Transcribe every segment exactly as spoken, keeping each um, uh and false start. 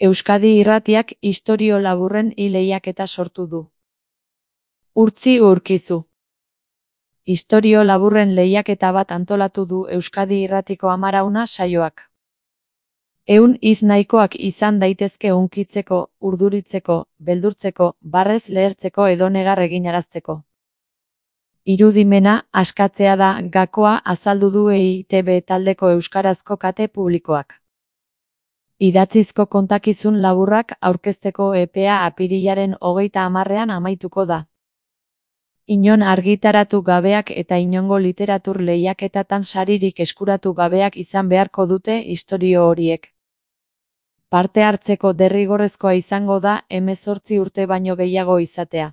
Euskadi Irratiak istorio laburren hi lehiaketa sortu du. Urtzi Urkizu. Istorio laburren lehiaketa bat antolatu du Euskadi Irratiko Amarauna saioak. Ehun hitz nahikoak izan daitezke hunkitzeko, urduritzeko, beldurtzeko, barrez lehertzeko edo negar eginarazteko. Irudimena askatzea da gakoa azaldu du E I T B taldeko euskarazko kate publikoak. Idatzizko kontakizun laburrak aurkezteko epea apirilaren hogeita hamarrean amaituko da. Inon argitaratu gabeak eta inongo literatur lehiaketatan saririk eskuratu gabeak izan beharko dute istorio horiek. Parte hartzeko derrigorrezkoa izango da hemezortzi urte baino gehiago izatea.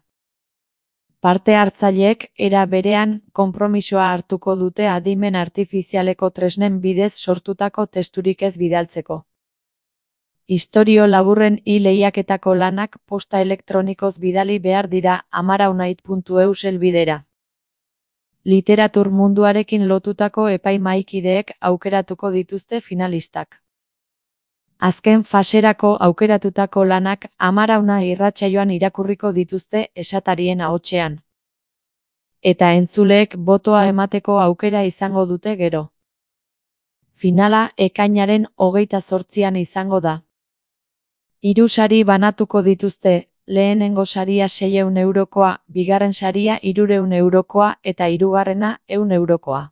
Parte hartzaileek era berean konpromisoa hartuko dute adimen artifizialeko tresnen bidez sortutako testurik ez bidaltzeko. Istorio laburren hi lehiaketako lanak posta elektronikoz bidali behar dira amaraunait puntu eus helbidera. Literatur munduarekin lotutako epaimahaikideek aukeratuko dituzte finalistak. Azken faserako aukeratutako lanak Amarauna irratsaioan irakurriko dituzte esatarien ahotsean. Eta entzuleek botoa emateko aukera izango dute gero. Finala ekainaren hogeita zortzian izango da. Hiru sari banatuko dituzte, lehenengo saria seiehun eurokoa, bigarren saria hirurehun eurokoa eta hirugarrena ehun eurokoa.